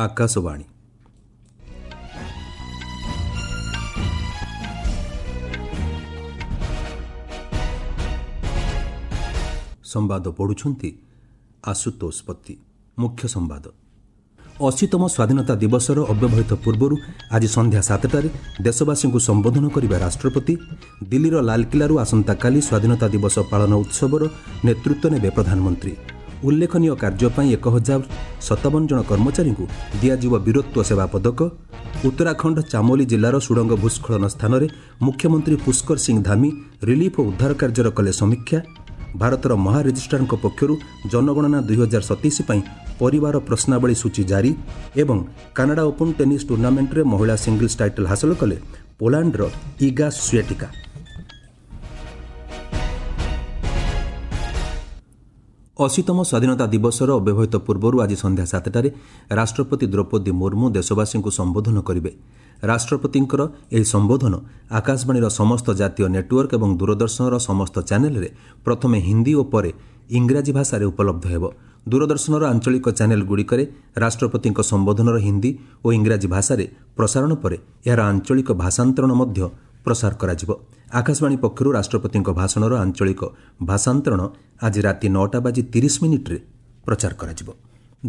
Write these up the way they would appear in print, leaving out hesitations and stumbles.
ଆକାଶବାଣୀ। ସମ୍ବାଦ ପଢ଼ୁଛନ୍ତି ଆଶୁତୋଷ ପତି। ମୁଖ୍ୟ ସମ୍ବାଦ। 80ତମ ସ୍ୱାଧୀନତା ଦିବସର ଅବ୍ୟବହିତ ପୂର୍ବରୁ ଆଜି ସନ୍ଧ୍ୟା 7ଟାରେ ଦେଶବାସୀଙ୍କୁ ସମ୍ବୋଧନ କରିବେ ରାଷ୍ଟ୍ରପତି। ଦିଲ୍ଲୀର ଲାଲକିଲ୍ଲାରୁ ଆସନ୍ତାକାଲି ସ୍ୱାଧୀନତା ଦିବସ ପାଳନ ଉତ୍ସବର ନେତୃତ୍ୱ ନେବେ ପ୍ରଧାନମନ୍ତ୍ରୀ। ଉଲ୍ଲେଖନୀୟ କାର୍ଯ୍ୟ ପାଇଁ 1057 ଜଣ କର୍ମଚାରୀଙ୍କୁ ଦିଆଯିବ ବୀରତ୍ୱ ସେବା ପଦକ। ଉତ୍ତରାଖଣ୍ଡ ଚାମୋଲି ଜିଲ୍ଲାର ସୁଡ଼ଙ୍ଗ ଭୂସ୍ଖଳନ ସ୍ଥାନରେ ମୁଖ୍ୟମନ୍ତ୍ରୀ ପୁଷ୍କର ସିଂ ଧାମି ରିଲିଫ୍ ଓ ଉଦ୍ଧାର କାର୍ଯ୍ୟର କଲେ ସମୀକ୍ଷା। ଭାରତର ମହାରେଜିଷ୍ଟ୍ରାରଙ୍କ ପକ୍ଷରୁ ଜନଗଣନା 2027 ପାଇଁ ପରିବାର ପ୍ରଶ୍ନାବଳୀ ସୂଚୀ ଜାରି। ଏବଂ କାନାଡା ଓପନ୍ ଟେନିସ୍ ଟୁର୍ଣ୍ଣାମେଣ୍ଟରେ ମହିଳା ସିଙ୍ଗଲ୍ସ ଟାଇଟଲ୍ ହାସଲ କଲେ ପୋଲାଣ୍ଡର ଇଗା ସ୍ୱେଟିକା। 80ତମ ସ୍ୱାଧୀନତା ଦିବସର ଅବ୍ୟବହିତ ପୂର୍ବରୁ ଆଜି ସନ୍ଧ୍ୟା 7ଟାରେ ରାଷ୍ଟ୍ରପତି ଦ୍ରୌପଦୀ ମୁର୍ମୁ ଦେଶବାସୀଙ୍କୁ ସମ୍ବୋଧନ କରିବେ। ରାଷ୍ଟ୍ରପତିଙ୍କର ଏହି ସମ୍ବୋଧନ ଆକାଶବାଣୀର ସମସ୍ତ ଜାତୀୟ ନେଟୱାର୍କ ଏବଂ ଦୂରଦର୍ଶନର ସମସ୍ତ ଚ୍ୟାନେଲରେ ପ୍ରଥମେ ହିନ୍ଦୀ ଓ ପରେ ଇଂରାଜୀ ଭାଷାରେ ଉପଲବ୍ଧ ହେବ। ଦୂରଦର୍ଶନର ଆଞ୍ଚଳିକ ଚ୍ୟାନେଲଗୁଡ଼ିକରେ ରାଷ୍ଟ୍ରପତିଙ୍କ ସମ୍ବୋଧନର ହିନ୍ଦୀ ଓ ଇଂରାଜୀ ଭାଷାରେ ପ୍ରସାରଣ ପରେ ଏହାର ଆଞ୍ଚଳିକ ଭାଷାନ୍ତରଣ ମଧ୍ୟ ପ୍ରସାର କରାଯିବ। ଆକାଶବାଣୀ ପକ୍ଷରୁ ରାଷ୍ଟ୍ରପତିଙ୍କ ଭାଷଣର ଆଞ୍ଚଳିକ ଭାଷାନ୍ତରଣ ଆଜି ରାତି 9:30 ପ୍ରଚାର କରାଯିବ।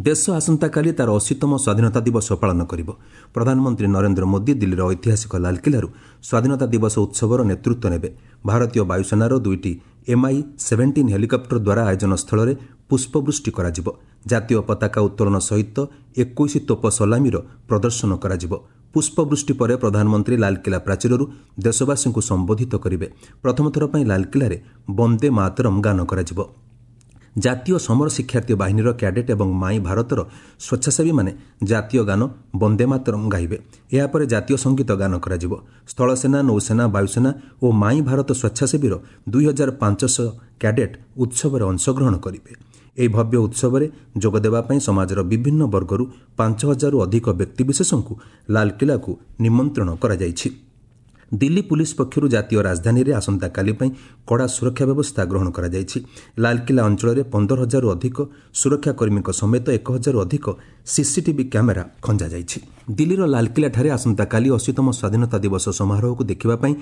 ଦେଶ ଆସନ୍ତାକାଲି ତାର 80ତମ ସ୍ୱାଧୀନତା ଦିବସ ପାଳନ କରିବ। ପ୍ରଧାନମନ୍ତ୍ରୀ ନରେନ୍ଦ୍ର ମୋଦି ଦିଲ୍ଲୀର ଐତିହାସିକ ଲାଲକିଲ୍ଲାରୁ ସ୍ୱାଧୀନତା ଦିବସ ଉତ୍ସବର ନେତୃତ୍ୱ ନେବେ। ଭାରତୀୟ ବାୟୁସେନାର ଦୁଇଟି MI-17 helicopter ଦ୍ୱାରା ଆୟୋଜନ ସ୍ଥଳରେ ପୁଷ୍ପବୃଷ୍ଟି କରାଯିବ। ଜାତୀୟ ପତାକା ଉତ୍ତୋଳନ ସହିତ 21 ତୋପ ସଲାମିର ପ୍ରଦର୍ଶନ କରାଯିବ। ପୁଷ୍ପବୃଷ୍ଟି ପରେ ପ୍ରଧାନମନ୍ତ୍ରୀ ଲାଲକିଲ୍ଲା ପ୍ରାଚୀରରୁ ଦେଶବାସୀଙ୍କୁ ସମ୍ବୋଧିତ କରିବେ। ପ୍ରଥମଥର ପାଇଁ ଲାଲକିଲ୍ଲାରେ ବନ୍ଦେ ମାତରମ୍ ଗାନ କରାଯିବ। ଜାତୀୟ ସମର ଶିକ୍ଷାର୍ଥୀ ବାହିନୀର କ୍ୟାଡେଟ୍ ଏବଂ ମାଇ ଭାରତର ସ୍ୱେଚ୍ଛାସେବୀମାନେ ଜାତୀୟ ଗାନ ବନ୍ଦେ ମାତରମ୍ ଗାଇବେ। ଏହାପରେ ଜାତୀୟ ସଙ୍ଗୀତ ଗାନ କରାଯିବ। ସ୍ଥଳସେନା, ନୌସେନା, ବାୟୁସେନା ଓ ମାଇ ଭାରତ ସ୍ୱେଚ୍ଛାସେବୀର 2500 କ୍ୟାଡେଟ୍ ଉତ୍ସବରେ ଅଂଶଗ୍ରହଣ କରିବେ। ଏହି ଭବ୍ୟ ଉତ୍ସବରେ ଯୋଗଦେବା ପାଇଁ ସମାଜର ବିଭିନ୍ନ ବର୍ଗରୁ 5000ରୁ ଅଧିକ ବ୍ୟକ୍ତିବିଶେଷଙ୍କୁ ଲାଲକିଲ୍ଲାକୁ ନିମନ୍ତ୍ରଣ କରାଯାଇଛି। ଦିଲ୍ଲୀ ପୁଲିସ୍ ପକ୍ଷରୁ ଜାତୀୟ ରାଜଧାନୀରେ ଆସନ୍ତାକାଲି ପାଇଁ କଡ଼ା ସୁରକ୍ଷା ବ୍ୟବସ୍ଥା ଗ୍ରହଣ କରାଯାଇଛି। ଲାଲକିଲ୍ଲା ଅଞ୍ଚଳରେ 15,000ରୁ ଅଧିକ ସୁରକ୍ଷାକର୍ମୀଙ୍କ ସମେତ 1,000ରୁ ଅଧିକ ସିସିଟିଭି କ୍ୟାମେରା ଖଞ୍ଜାଯାଇଛି। ଦିଲ୍ଲୀର ଲାଲକିଲ୍ଲାଠାରେ ଆସନ୍ତାକାଲି 80ତମ ସ୍ୱାଧୀନତା ଦିବସ ସମାରୋହକୁ ଦେଖିବା ପାଇଁ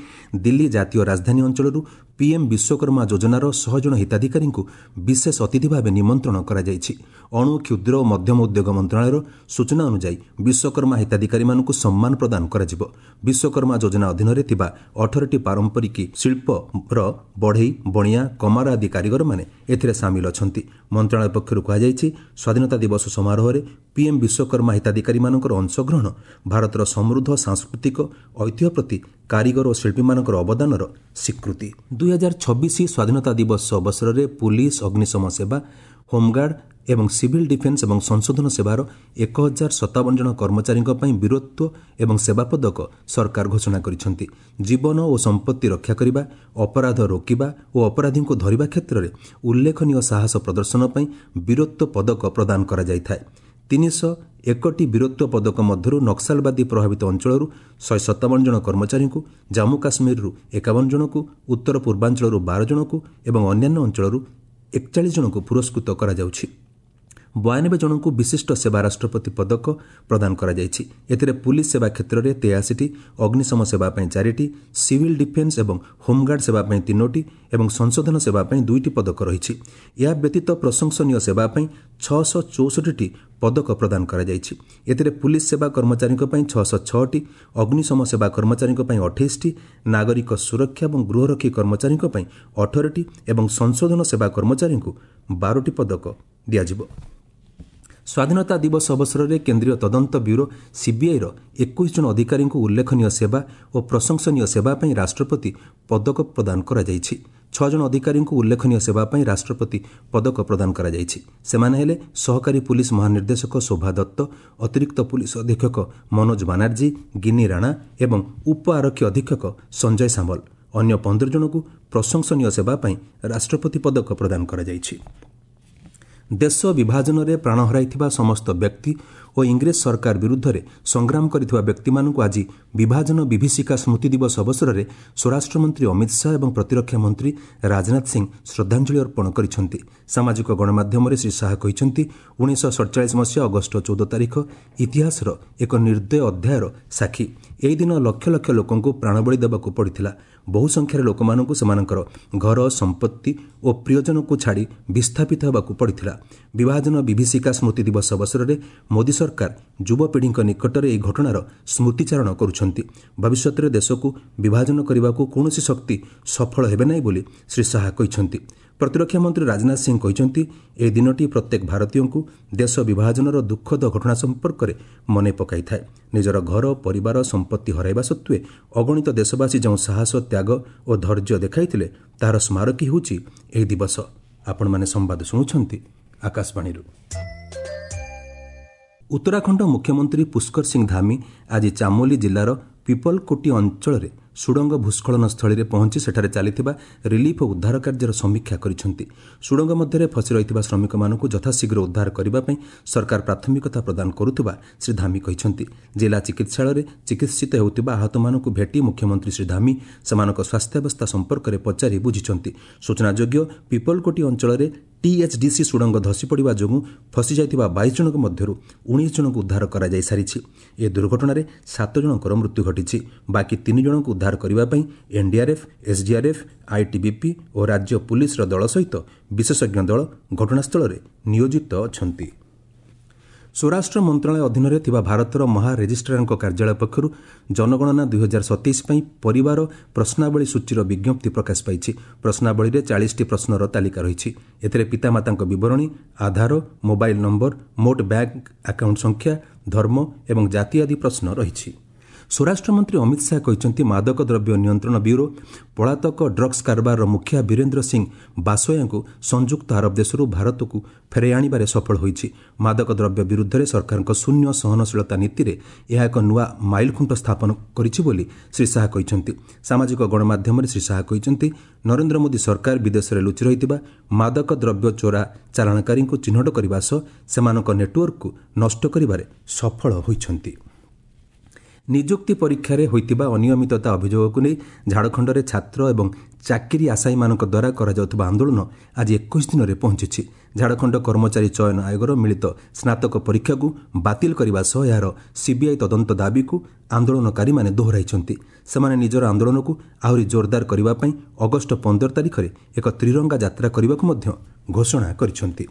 ଦିଲ୍ଲୀ ଜାତୀୟ ରାଜଧାନୀ ଅଞ୍ଚଳରୁ ପିଏମ୍ ବିଶ୍ୱକର୍ମା ଯୋଜନାର 100 ଜଣ ହିତାଧିକାରୀଙ୍କୁ ବିଶେଷ ଅତିଥି ଭାବେ ନିମନ୍ତ୍ରଣ କରାଯାଇଛି। ଅଣୁ, କ୍ଷୁଦ୍ର ଓ ମଧ୍ୟମ ଉଦ୍ୟୋଗ ମନ୍ତ୍ରଣାଳୟର ସୂଚନା ଅନୁଯାୟୀ ବିଶ୍ୱକର୍ମା ହିତାଧିକାରୀମାନଙ୍କୁ ସମ୍ମାନ ପ୍ରଦାନ କରାଯିବ। ବିଶ୍ୱକର୍ମା ଯୋଜନା ଅଧୀନରେ ଥିବା 18ଟି ପାରମ୍ପରିକ ଶିଳ୍ପର ବଢ଼େଇ, ବଣିଆ, କମାର ଆଦି କାରିଗରମାନେ ଏଥିରେ ସାମିଲ ଅଛନ୍ତି। ମନ୍ତ୍ରଣାଳୟ ପକ୍ଷରୁ କୁହାଯାଇଛି, ସ୍ୱାଧୀନତା ଦିବସ ସମାରୋହରେ ପିଏମ୍ ବିଶ୍ୱକର୍ମା ହିତାଧିକାରୀମାନଙ୍କର ଅଂଶଗ୍ରହଣ ଭାରତର ସମୃଦ୍ଧ ସାଂସ୍କୃତିକ ଐତିହ୍ୟ ପ୍ରତି କାରିଗର ଓ ଶିଳ୍ପୀମାନଙ୍କର ଅବଦାନର ସ୍ୱୀକୃତି। 2026 ସ୍ୱାଧୀନତା ଦିବସ ଅବସରରେ ପୁଲିସ୍, ଅଗ୍ନିଶମ ସେବା, ହୋମଗାର୍ଡ ଏବଂ ସିଭିଲ୍ ଡିଫେନ୍ସ ଏବଂ ସଂଶୋଧନ ସେବାର 1057 ଜଣ କର୍ମଚାରୀଙ୍କ ପାଇଁ ବୀରତ୍ୱ ଏବଂ ସେବା ପଦକ ସରକାର ଘୋଷଣା କରିଛନ୍ତି। ଜୀବନ ଓ ସମ୍ପତ୍ତି ରକ୍ଷା କରିବା, ଅପରାଧ ରୋକିବା ଓ ଅପରାଧୀଙ୍କୁ ଧରିବା କ୍ଷେତ୍ରରେ ଉଲ୍ଲେଖନୀୟ ସାହସ ପ୍ରଦର୍ଶନ ପାଇଁ ବୀରତ୍ୱ ପଦକ ପ୍ରଦାନ କରାଯାଇଥାଏ। 301ଟି ବୀରତ୍ୱ ପଦକ ମଧ୍ୟରୁ ନକ୍ସଲବାଦୀ ପ୍ରଭାବିତ ଅଞ୍ଚଳରୁ 157 ଜଣ କର୍ମଚାରୀଙ୍କୁ, ଜାମ୍ମୁ କାଶ୍ମୀରରୁ 51 ଜଣଙ୍କୁ, ଉତ୍ତର ପୂର୍ବାଞ୍ଚଳରୁ 12 ଜଣଙ୍କୁ ଏବଂ ଅନ୍ୟାନ୍ୟ ଅଞ୍ଚଳରୁ 41 ଜଣଙ୍କୁ ପୁରସ୍କୃତ କରାଯାଉଛି। 92 ଜଣଙ୍କୁ ବିଶିଷ୍ଟ ସେବା ରାଷ୍ଟ୍ରପତି ପଦକ ପ୍ରଦାନ କରାଯାଇଛି। ଏଥିରେ ପୁଲିସ୍ ସେବା କ୍ଷେତ୍ରରେ 83ଟି, ଅଗ୍ନିଶମ ସେବା ପାଇଁ 4ଟି, ସିଭିଲ୍ ଡିଫେନ୍ସ ଏବଂ ହୋମଗାର୍ଡ ସେବା ପାଇଁ 3ଟି ଏବଂ ସଂଶୋଧନ ସେବା ପାଇଁ 2ଟି ପଦକ ରହିଛି। ଏହା ବ୍ୟତୀତ ପ୍ରଶଂସନୀୟ ସେବା ପାଇଁ 664ଟି ପଦକ ପ୍ରଦାନ କରାଯାଇଛି। ଏଥିରେ ପୁଲିସ୍ ସେବା କର୍ମଚାରୀଙ୍କ ପାଇଁ 606ଟି, ଅଗ୍ନିଶମ ସେବା କର୍ମଚାରୀଙ୍କ ପାଇଁ 28ଟି, ନାଗରିକ ସୁରକ୍ଷା ଏବଂ ଗୃହରକ୍ଷୀ କର୍ମଚାରୀଙ୍କ ପାଇଁ 18ଟି ଏବଂ ସଂଶୋଧନ ସେବା କର୍ମଚାରୀଙ୍କୁ 12ଟି ପଦକ ଦିଆଯିବ। ସ୍ୱାଧୀନତା ଦିବସ ଅବସରରେ କେନ୍ଦ୍ରୀୟ ତଦନ୍ତ ବ୍ୟୁରୋ ସିବିଆଇର 21 ଜଣ ଅଧିକାରୀଙ୍କୁ ଉଲ୍ଲେଖନୀୟ ସେବା ଓ ପ୍ରଶଂସନୀୟ ସେବା ପାଇଁ ରାଷ୍ଟ୍ରପତି ପଦକ ପ୍ରଦାନ କରାଯାଇଛି। 6 ଜଣ ଅଧିକାରୀଙ୍କୁ ଉଲ୍ଲେଖନୀୟ ସେବା ପାଇଁ ରାଷ୍ଟ୍ରପତି ପଦକ ପ୍ରଦାନ କରାଯାଇଛି। ସେମାନେ ହେଲେ ସହକାରୀ ପୁଲିସ୍ ମହାନିର୍ଦ୍ଦେଶକ ଶୋଭା ଦତ୍ତ, ଅତିରିକ୍ତ ପୁଲିସ୍ ଅଧୀକ୍ଷକ ମନୋଜ ବାନାର୍ଜୀ, ଗିନି ରାଣା ଏବଂ ଉପ ଆରକ୍ଷୀ ଅଧୀକ୍ଷକ ସଞ୍ଜୟ ସାମଲ। ଅନ୍ୟ 15 ଜଣଙ୍କୁ ପ୍ରଶଂସନୀୟ ସେବା ପାଇଁ ରାଷ୍ଟ୍ରପତି ପଦକ ପ୍ରଦାନ କରାଯାଇଛି। ଦେଶ ବିଭାଜନରେ ପ୍ରାଣ ହରାଇଥିବା ସମସ୍ତ ବ୍ୟକ୍ତି ଓ ଇଂରେଜ ସରକାର ବିରୁଦ୍ଧରେ ସଂଗ୍ରାମ କରିଥିବା ବ୍ୟକ୍ତିମାନଙ୍କୁ ଆଜି ବିଭାଜନ ବିଭୀଷିକା ସ୍ମୃତି ଦିବସ ଅବସରରେ ସ୍ୱରାଷ୍ଟ୍ରମନ୍ତ୍ରୀ ଅମିତ ଶାହା ଏବଂ ପ୍ରତିରକ୍ଷା ମନ୍ତ୍ରୀ ରାଜନାଥ ସିଂ ଶ୍ରଦ୍ଧାଞ୍ଜଳି ଅର୍ପଣ କରିଛନ୍ତି। ସାମାଜିକ ଗଣମାଧ୍ୟମରେ ଶ୍ରୀ ଶାହା କହିଛନ୍ତି, 1947 ମସିହା ଅଗଷ୍ଟ 14 ତାରିଖ ଇତିହାସର ଏକ ନିର୍ଦ୍ଦୟ ଅଧ୍ୟାୟର ସାକ୍ଷୀ। ଏହି ଦିନ ଲକ୍ଷ ଲକ୍ଷ ଲୋକଙ୍କୁ ପ୍ରାଣବଳି ଦେବାକୁ ପଡ଼ିଥିଲା। ବହୁ ସଂଖ୍ୟାରେ ଲୋକମାନଙ୍କୁ ସେମାନଙ୍କର ଘର, ସମ୍ପତ୍ତି ଓ ପ୍ରିୟଜନଙ୍କୁ ଛାଡ଼ି ବିସ୍ଥାପିତ ହେବାକୁ ପଡ଼ିଥିଲା। ବିଭାଜନ ବିଭୀଷିକା ସ୍ମୃତି ଦିବସ ଅବସରରେ ମୋଦି ସରକାର ଯୁବପିଢ଼ିଙ୍କ ନିକଟରେ ଏହି ଘଟଣାର ସ୍ମୃତିଚାରଣ କରୁଛନ୍ତି। ଭବିଷ୍ୟତରେ ଦେଶକୁ ବିଭାଜନ କରିବାକୁ କୌଣସି ଶକ୍ତି ସଫଳ ହେବେ ନାହିଁ ବୋଲି ଶ୍ରୀ ଶାହା କହିଛନ୍ତି। ପ୍ରତିରକ୍ଷା ମନ୍ତ୍ରୀ ରାଜନାଥ ସିଂ କହିଛନ୍ତି, ଏହି ଦିନଟି ପ୍ରତ୍ୟେକ ଭାରତୀୟଙ୍କୁ ଦେଶ ବିଭାଜନର ଦୁଃଖଦ ଘଟଣା ସମ୍ପର୍କରେ ମନେ ପକାଇଥାଏ। ନିଜର ଘର, ପରିବାର, ସମ୍ପତ୍ତି ହରାଇବା ସତ୍ତ୍ୱେ ଅଗଣିତ ଦେଶବାସୀ ଯେଉଁ ସାହସ, ତ୍ୟାଗ ଓ ଧୈର୍ଯ୍ୟ ଦେଖାଇଥିଲେ, ତାହାର ସ୍ମାରକୀ ହେଉଛି ଏହି ଦିବସ। ଆପଣମାନେ ସମ୍ବାଦ ଶୁଣୁଛନ୍ତି ଆକାଶବାଣୀରୁ। ଉତ୍ତରାଖଣ୍ଡ ମୁଖ୍ୟମନ୍ତ୍ରୀ ପୁଷ୍କର ସିଂ ଧାମି ଆଜି ଚାମୋଲି ଜିଲ୍ଲାର ପିପଲକୋଟି ଅଞ୍ଚଳରେ ସୁଡ଼ଙ୍ଗ ଭୂସ୍ଖଳନ ସ୍ଥଳୀରେ ପହଞ୍ଚି ସେଠାରେ ଚାଲିଥିବା ରିଲିଫ୍ ଓ ଉଦ୍ଧାର କାର୍ଯ୍ୟର ସମୀକ୍ଷା କରିଛନ୍ତି। ସୁଡ଼ଙ୍ଗ ମଧ୍ୟରେ ଫସି ରହିଥିବା ଶ୍ରମିକମାନଙ୍କୁ ଯଥାଶୀଘ୍ର ଉଦ୍ଧାର କରିବା ପାଇଁ ସରକାର ପ୍ରାଥମିକତା ପ୍ରଦାନ କରୁଥିବା ଶ୍ରୀ ଧାମି କହିଛନ୍ତି। ଜିଲ୍ଲା ଚିକିତ୍ସାଳୟରେ ଚିକିତ୍ସିତ ହେଉଥିବା ଆହତମାନଙ୍କୁ ଭେଟି ମୁଖ୍ୟମନ୍ତ୍ରୀ ଶ୍ରୀ ଧାମି ସେମାନଙ୍କ ସ୍ୱାସ୍ଥ୍ୟାବସ୍ଥା ସମ୍ପର୍କରେ ପଚାରି ବୁଝିଛନ୍ତି। ସୂଚନାଯୋଗ୍ୟ, ପିପଲକୋଟି ଅଞ୍ଚଳରେ ଟିଏଚ୍ଡିସି ସୁଡ଼ଙ୍ଗ ଧସିପଡ଼ିବା ଯୋଗୁଁ ଫସିଯାଇଥିବା 22 ଜଣଙ୍କ ମଧ୍ୟରୁ 19 ଜଣଙ୍କୁ ଉଦ୍ଧାର କରାଯାଇ ସାରିଛି। ଏ ଦୁର୍ଘଟଣାରେ 7 ଜଣଙ୍କର ମୃତ୍ୟୁ ଘଟିଛି। ବାକି 3 ଜଣଙ୍କୁ ଉଦ୍ଧାର କରିବା ପାଇଁ ଏନ୍ଡିଆର୍ଏଫ୍, ଏସ୍ଡିଆର୍ଏଫ୍, ଆଇଟିବିପି ଓ ରାଜ୍ୟ ପୁଲିସର ଦଳ ସହିତ ବିଶେଷଜ୍ଞ ଦଳ ଘଟଣାସ୍ଥଳରେ ନିୟୋଜିତ ଅଛନ୍ତି। ସ୍ୱରାଷ୍ଟ୍ର ମନ୍ତ୍ରଣାଳୟ ଅଧୀନରେ ଥିବା ଭାରତର ମହାରେଜିଷ୍ଟ୍ରାରଙ୍କ କାର୍ଯ୍ୟାଳୟ ପକ୍ଷରୁ ଜନଗଣନା 2027 ପାଇଁ ପରିବାର ପ୍ରଶ୍ନାବଳୀ ସୂଚୀର ବିଜ୍ଞପ୍ତି ପ୍ରକାଶ ପାଇଛି। ପ୍ରଶ୍ନାବଳୀରେ 40ଟି ପ୍ରଶ୍ନର ତାଲିକା ରହିଛି। ଏଥିରେ ପିତାମାତାଙ୍କ ବିବରଣୀ, ଆଧାର, ମୋବାଇଲ ନମ୍ବର, ମୋଟ ବ୍ୟାଙ୍କ ଆକାଉଣ୍ଟ ସଂଖ୍ୟା, ଧର୍ମ ଏବଂ ଜାତି ଆଦି ପ୍ରଶ୍ନ ରହିଛି। ସ୍ୱରାଷ୍ଟ୍ରମନ୍ତ୍ରୀ ଅମିତ ଶାହା କହିଛନ୍ତି, ମାଦକ ଦ୍ରବ୍ୟ ନିୟନ୍ତ୍ରଣ ବ୍ୟୁରୋ ପଳାତକ ଡ୍ରଗ୍ସ କାରବାରର ମୁଖିଆ ବୀରେନ୍ଦ୍ର ସିଂ ବାସୋୟାଙ୍କୁ ସଂଯୁକ୍ତ ଆରବ ଦେଶରୁ ଭାରତକୁ ଫେରାଇ ଆଣିବାରେ ସଫଳ ହୋଇଛି। ମାଦକ ଦ୍ରବ୍ୟ ବିରୁଦ୍ଧରେ ସରକାରଙ୍କ ଶୂନ୍ୟ ସହନଶୀଳତା ନୀତିରେ ଏହା ଏକ ନୂଆ ମାଇଲଖୁଣ୍ଟ ସ୍ଥାପନ କରିଛି ବୋଲି ଶ୍ରୀ ଶାହା କହିଛନ୍ତି। ସାମାଜିକ ଗଣମାଧ୍ୟମରେ ଶ୍ରୀ ଶାହା କହିଛନ୍ତି, ନରେନ୍ଦ୍ର ମୋଦି ସରକାର ବିଦେଶରେ ଲୁଚି ରହିଥିବା ମାଦକ ଦ୍ରବ୍ୟ ଚୋରା ଚାଲାଣକାରୀଙ୍କୁ ଚିହ୍ନଟ କରିବା ସହ ସେମାନଙ୍କ ନେଟୱାର୍କକୁ ନଷ୍ଟ କରିବାରେ ସଫଳ ହୋଇଛନ୍ତି। ନିଯୁକ୍ତି ପରୀକ୍ଷାରେ ହୋଇଥିବା ଅନିୟମିତତା ଅଭିଯୋଗକୁ ନେଇ ଝାଡ଼ଖଣ୍ଡରେ ଛାତ୍ର ଏବଂ ଚାକିରି ଆଶାୟୀମାନଙ୍କ ଦ୍ୱାରା କରାଯାଉଥିବା ଆନ୍ଦୋଳନ ଆଜି 21 ଦିନରେ ପହଞ୍ଚିଛି। ଝାଡ଼ଖଣ୍ଡ କର୍ମଚାରୀ ଚୟନ ଆୟୋଗର ମିଳିତ ସ୍ନାତକ ପରୀକ୍ଷାକୁ ବାତିଲ କରିବା ସହ ଏହାର ସିବିଆଇ ତଦନ୍ତ ଦାବିକୁ ଆନ୍ଦୋଳନକାରୀମାନେ ଦୋହରାଇଛନ୍ତି। ସେମାନେ ନିଜର ଆନ୍ଦୋଳନକୁ ଆହୁରି ଜୋରଦାର କରିବା ପାଇଁ ଅଗଷ୍ଟ 15 ତାରିଖରେ ଏକ ତ୍ରିରଙ୍ଗା ଯାତ୍ରା କରିବାକୁ ମଧ୍ୟ ଘୋଷଣା କରିଛନ୍ତି।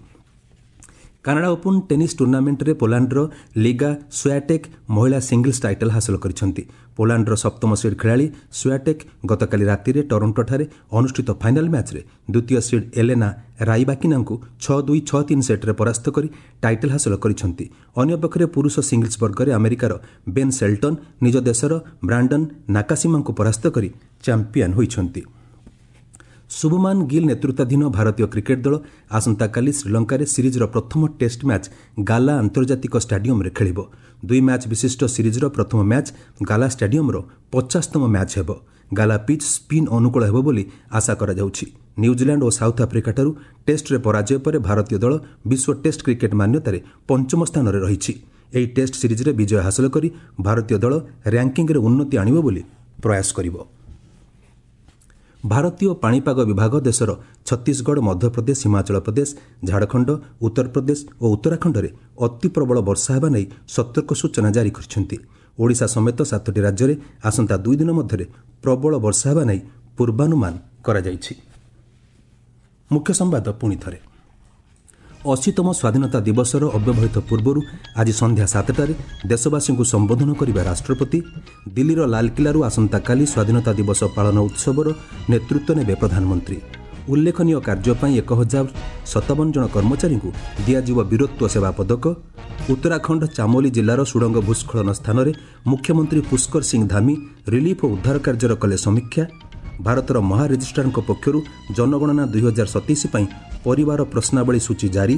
କାନାଡା ଓପନ୍ ଟେନିସ୍ ଟୁର୍ଣ୍ଣାମେଣ୍ଟରେ ପୋଲାଣ୍ଡର ଲିଗା ସ୍ୱୟାଟେକ୍ ମହିଳା ସିଙ୍ଗଲ୍ସ ଟାଇଟଲ୍ ହାସଲ କରିଛନ୍ତି। ପୋଲାଣ୍ଡର ସପ୍ତମ ସିଡ୍ ଖେଳାଳି ସ୍ୱୟାଟେକ୍ ଗତକାଲି ରାତିରେ ଟରୋଣ୍ଟୋଠାରେ ଅନୁଷ୍ଠିତ ଫାଇନାଲ୍ ମ୍ୟାଚ୍ରେ ଦ୍ୱିତୀୟ ସିଡ୍ ଏଲେନା ରାଇବାକିନାଙ୍କୁ 6-2, 6-3 ସେଟ୍ରେ ପରାସ୍ତ କରି ଟାଇଟଲ୍ ହାସଲ କରିଛନ୍ତି। ଅନ୍ୟପକ୍ଷରେ ପୁରୁଷ ସିଙ୍ଗଲ୍ସ ବର୍ଗରେ ଆମେରିକାର ବେନ୍ ସେଲ୍ଟନ୍ ନିଜ ଦେଶର ବ୍ରାଣ୍ଡନ୍ ନାକାସିମାଙ୍କୁ ପରାସ୍ତ କରି ଚାମ୍ପିୟନ୍ ହୋଇଛନ୍ତି। ଶୁଭମାନ ଗିଲ୍ ନେତୃତ୍ୱାଧୀନ ଭାରତୀୟ କ୍ରିକେଟ୍ ଦଳ ଆସନ୍ତାକାଲି ଶ୍ରୀଲଙ୍କାରେ ସିରିଜ୍ର ପ୍ରଥମ ଟେଷ୍ଟ ମ୍ୟାଚ୍ ଗାଲା ଆନ୍ତର୍ଜାତିକ ଷ୍ଟାଡିୟମ୍ରେ ଖେଳିବ। 2 ମ୍ୟାଚ୍ ବିଶିଷ୍ଟ ସିରିଜ୍ର ପ୍ରଥମ ମ୍ୟାଚ୍ ଗାଲା ଷ୍ଟାଡିୟମ୍ର 50ତମ ମ୍ୟାଚ୍ ହେବ। ଗାଲା ପିଚ୍ ସ୍ପିନ୍ ଅନୁକୂଳ ହେବ ବୋଲି ଆଶା କରାଯାଉଛି। ନ୍ୟୁଜିଲାଣ୍ଡ ଓ ସାଉଥ୍ ଆଫ୍ରିକାଠାରୁ ଟେଷ୍ଟରେ ପରାଜୟ ପରେ ଭାରତୀୟ ଦଳ ବିଶ୍ୱ ଟେଷ୍ଟ କ୍ରିକେଟ୍ ମାନ୍ୟତାରେ ପଞ୍ଚମ ସ୍ଥାନରେ ରହିଛି। ଏହି ଟେଷ୍ଟ ସିରିଜ୍ରେ ବିଜୟ ହାସଲ କରି ଭାରତୀୟ ଦଳ ର୍ୟାଙ୍କିଙ୍ଗ୍ରେ ଉନ୍ନତି ଆଣିବ ବୋଲି ପ୍ରୟାସ କରିବ। ଭାରତୀୟ ପାଣିପାଗ ବିଭାଗ ଦେଶର ଛତିଶଗଡ଼, ମଧ୍ୟପ୍ରଦେଶ, ହିମାଚଳ ପ୍ରଦେଶ, ଝାଡ଼ଖଣ୍ଡ, ଉତ୍ତରପ୍ରଦେଶ ଓ ଉତ୍ତରାଖଣ୍ଡରେ ଅତି ପ୍ରବଳ ବର୍ଷା ହେବା ନେଇ ସତର୍କ ସୂଚନା ଜାରି କରିଛନ୍ତି। ଓଡ଼ିଶା ସମେତ 7ଟି ରାଜ୍ୟରେ ଆସନ୍ତା 2 ଦିନ ମଧ୍ୟରେ ପ୍ରବଳ ବର୍ଷା ହେବା ନେଇ ପୂର୍ବାନୁମାନ କରାଯାଇଛି। ମୁଖ୍ୟ ସମ୍ବାଦ ପୁଣି ଥରେ। 80ତମ ସ୍ୱାଧୀନତା ଦିବସର ଅବ୍ୟବହିତ ପୂର୍ବରୁ ଆଜି ସନ୍ଧ୍ୟା 7ଟାରେ ଦେଶବାସୀଙ୍କୁ ସମ୍ବୋଧନ କରିବେ ରାଷ୍ଟ୍ରପତି। ଦିଲ୍ଲୀର ଲାଲକିଲ୍ଲାରୁ ଆସନ୍ତାକାଲି ସ୍ୱାଧୀନତା ଦିବସ ପାଳନ ଉତ୍ସବର ନେତୃତ୍ୱ ନେବେ ପ୍ରଧାନମନ୍ତ୍ରୀ। ଉଲ୍ଲେଖନୀୟ କାର୍ଯ୍ୟ ପାଇଁ 1057 ଜଣ କର୍ମଚାରୀଙ୍କୁ ଦିଆଯିବ ବୀରତ୍ୱ ସେବା ପଦକ। ଉତ୍ତରାଖଣ୍ଡ ଚାମୋଲି ଜିଲ୍ଲାର ସୁଡ଼ଙ୍ଗ ଭୂସ୍ଖଳନ ସ୍ଥାନରେ ମୁଖ୍ୟମନ୍ତ୍ରୀ ପୁଷ୍କର ସିଂ ଧାମି ରିଲିଫ୍ ଓ ଉଦ୍ଧାର କାର୍ଯ୍ୟର କଲେ ସମୀକ୍ଷା। ଭାରତର ମହାରେଜିଷ୍ଟ୍ରାରଙ୍କ ପକ୍ଷରୁ ଜନଗଣନା 2027 ପାଇଁ ପରିବାର ପ୍ରଶ୍ନାବଳୀ ସୂଚୀ ଜାରି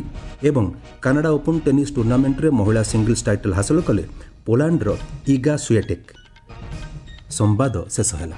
ଏବଂ କାନାଡା ଓପନ୍ ଟେନିସ୍ ଟୁର୍ଣ୍ଣାମେଣ୍ଟରେ ମହିଳା ସିଙ୍ଗଲ୍ସ ଟାଇଟଲ୍ ହାସଲ କଲେ ପୋଲାଣ୍ଡର ଇଗା ସୁଏଟେକ୍। ସମ୍ବାଦ ଶେଷ ହେଲା।